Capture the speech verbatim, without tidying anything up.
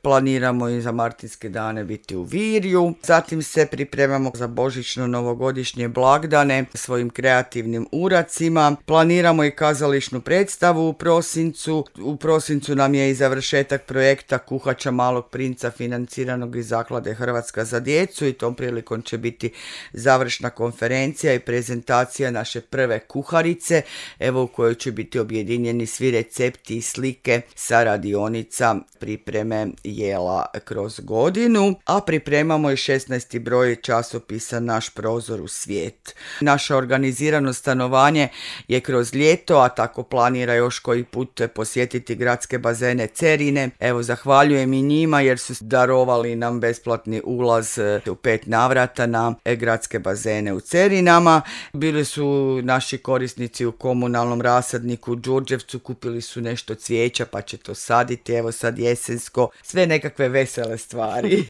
planiramo i za Martinske dane biti u Virju. Zatim se pripremamo za božićno-novogodišnje blagdane svojim kreativnim uracima. Planiramo i kazališnu predstavu u prosincu. U prosincu nam je i završetak projekta Kuhača Malog princa financiranog iz Zaklade Hrvatska za djecu i tom prilikom će biti završna konferencija i prezentacija naše prve kuharice, evo u kojoj će biti objedinjeni svi recepti i slike sa radionica pripreme jela kroz godinu, a pripremamo i šesnaesti broj časopisa Naš prozor u svijet. Naša organizirano stanovanje je kroz ljeto, a tako planira još koji put posjetiti gradske bazene Cerine. Evo, zahvaljujem i njima jer su darovali nam besplatni ulaz u pet navrata na gradske bazene u Cerinama. Bili su naši korisnici u komunalnom rasadniku u Đurđevcu, kupili su nešto cvijeća pa će to saditi, evo sad jesensko, sve nekakve vesele stvari.